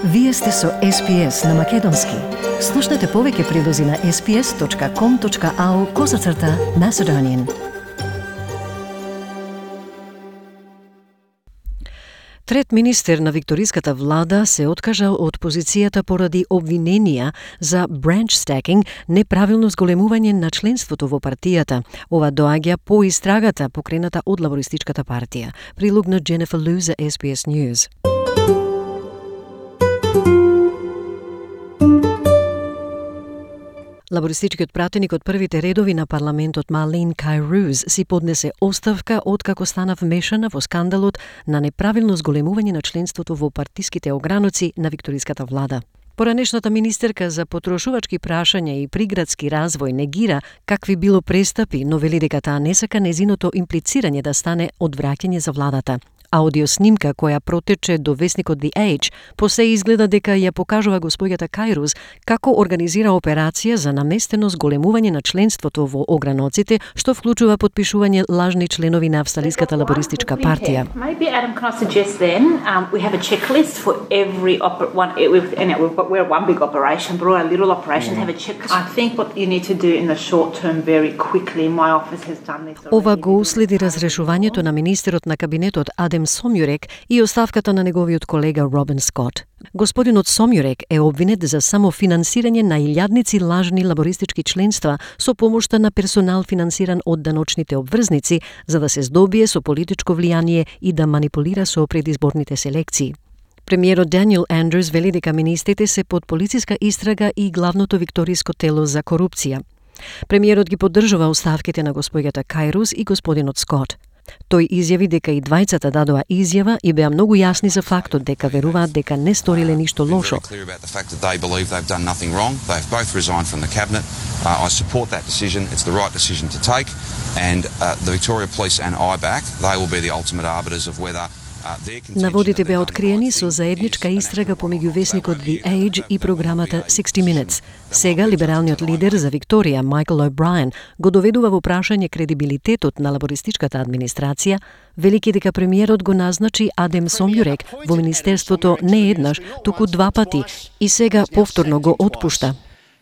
Вие сте со SPS на Македонски. Слушнете повеќе прилози на sps.com.au/Macedonian. Трет министер на викториската влада се откажа од позицијата поради обвиненија за branch stacking, неправилно зголемување на членството во партијата. Ова доаѓа по истрагата покрената од лабористичката партија. Прилог на Jennifer Liu за SBS News. Лабористичкиот пратеник од првите редови на парламентот Marlene Kairouz си поднесе оставка откако стана вмешана во скандалот на неправилно зголемување на членството во партиските ограноци на викториската влада. Поранешната министерка за потрошувачки прашања и приградски развој негира какви било престапи, но вели дека таа не сака незиното имплицирање да стане одвраќање за владата. Аудиоснимка која протече до весникот The Age посе изгледа дека ја покажува господјата Kairouz како организира операција за наместено зголемување на членството во ограноците, што вклучува подпишување лажни членови на Австралиската лабористичка партија. Maybe Adam, can I suggest then we have a checklist for every we're one big operation, but all our little operations have a checklist. I think what you need to do in the short term very quickly. My office has done this already. Ова го уследи разрешувањето на министерот на кабинетот Адам Somyurek и оставката на неговиот колега Робин Скот. Господинот Somyurek е обвинет за самофинансирање на илјадници лажни лабористички членства со помошта на персонал финансиран од даночните обврзници за да се здобие со политичко влијание и да манипулира со предизборните селекции. Премиерот Daniel Andrews вели дека министрите се под полициска истрага и главното викториско тело за корупција. Премиерот ги поддржува оставките на господјата Kairouz и господинот Скот. Тој изјави дека и двајцата дадоа изјава и беа многу јасни за фактот дека веруваат дека не сториле ништо лошо. Наводите беа откриени со заедничка истрага помеѓу весникот The Age и програмата 60 Minutes. Сега либералниот лидер за Викторија, Michael O'Brien, го доведува во прашање кредибилитетот на лабористичката администрација, велики дека премиерот го назначи Адам Somyurek во министерството не еднаш, туку два пати и сега повторно го отпушта.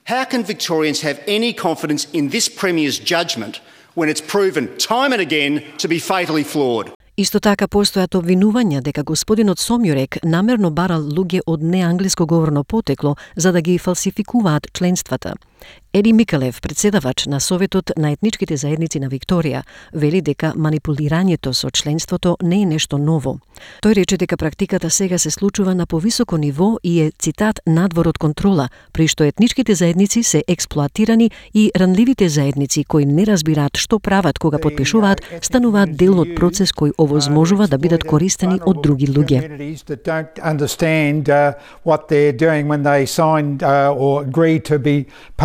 How can Victorians have any confidence in this premier's judgment when it's proven time and again to be fatally flawed? Исто така постојат обвинувања дека господинот Somyurek намерно барал луѓе од неанглиско говорно потекло за да ги фалсификуваат членствата. Еди Микалев, председавач на Советот на етничките заедници на Викторија, вели дека манипулирањето со членството не е нешто ново. Тој рече дека практиката сега се случува на повисоко ниво и е, цитат, надвор од контрола, при што етничките заедници се експлоатирани и ранливите заедници кои не разбираат што прават кога подпишуваат, стануваат дел од процес кој овозможува да бидат користени од други луѓе.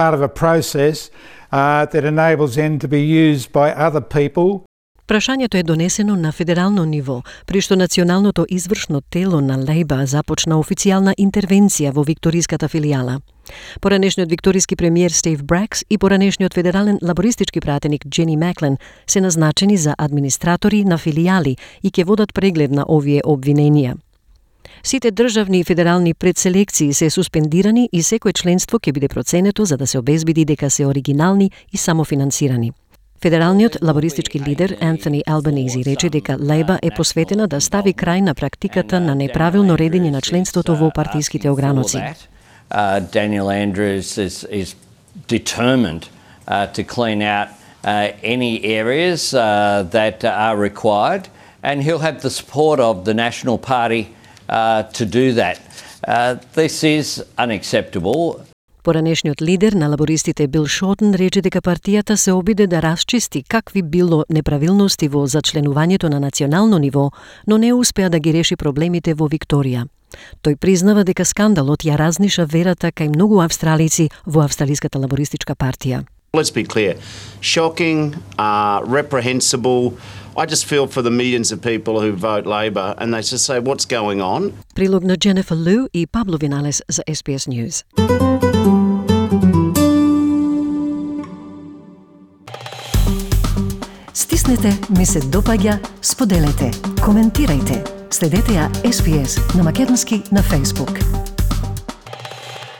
Part of a process that enables them to be used by other people. Прашањето е донесено на федерално ниво, при што националното извршно тело на Лейба започна официјална интервенција во викториската филијала. Поранешниот викториски премиер Стив Бракс и поранешниот федерален лабористички пратеник Джени Маклен се назначени за администратори на филијали и ќе водат преглед на овие обвиненија. Сите државни и федерални предселекции се суспендирани и секое членство ќе биде проценето за да се обезбеди дека се оригинални и самофинансирани. Федералниот лабористички лидер Антони Албанези рече дека Лейба е посветена да стави крај на практиката на неправилно редење на членството во партиските ограноци. Daniel Andrews is determined to clean out any areas that are required, and he'll have the support of the National Party to do that. This is unacceptable. Поранешниот лидер на лабористите Бил Шотен рече дека партијата се обиде да расчисти какви било неправилности во зачленувањето на национално ниво, но не успеа да ги реши проблемите во Викторија. Тој признава дека скандалот ја разниша верата кај многу австралици во Австралиската лабористичка партија. Let's be clear. Shocking, reprehensible. I just feel for the millions of people who vote Labor and they just say, what's going on? Прилог на Jennifer Liu и Pablo Vinales за SBS News. Стиснете, ми се допаѓа, споделете, коментирајте. Следете ја SBS на Македонски на Facebook.